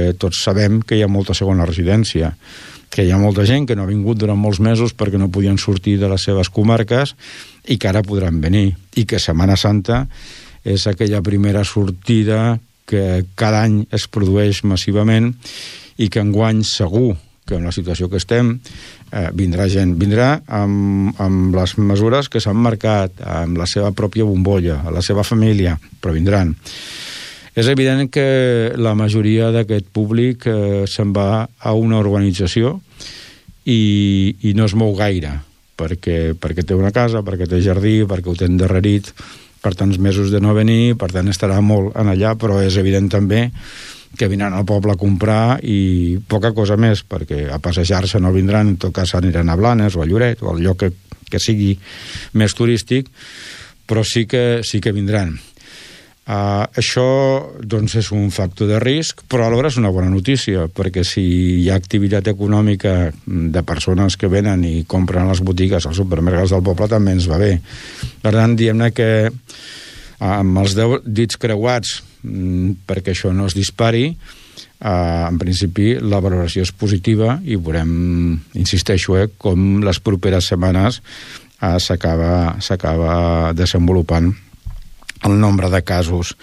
perquè tots sabem que hi ha molta segona residència, que hi ha molta gent que no ha vingut durant molts mesos perquè no podien sortir de les seves comarques i que ara podran venir, i que Setmana Santa és aquella primera sortida que cada any es produeix massivament i que enguany segur que en la situació que estem vindrà gent. Vindrà amb les mesures que s'han marcat, amb la seva pròpia bombolla, a la seva família, però vindran. És evident que la majoria d'aquest públic se'n va a una urbanització i no es mou gaire, perquè té una casa, perquè té jardí, perquè ho té endarrerit per tants mesos de no venir, per tant estarà molt en allà, però és evident també que vindran al poble a comprar i poca cosa més, perquè a passejar-se no vindran, en tot cas aniran a Blanes o a Lloret o al lloc que sigui més turístic, però sí que vindran. Això doncs és un factor de risc, però alhora és una bona notícia, perquè si hi ha activitat econòmica de persones que venen i compren a les botigues, als supermercats del poble, també ens va bé. Per tant, diem-ne que amb els dits creuats perquè això no es dispari, en principi la valoració és positiva i veurem, insisteixo, com les properes setmanes s'acaba desenvolupant el nombre de casos.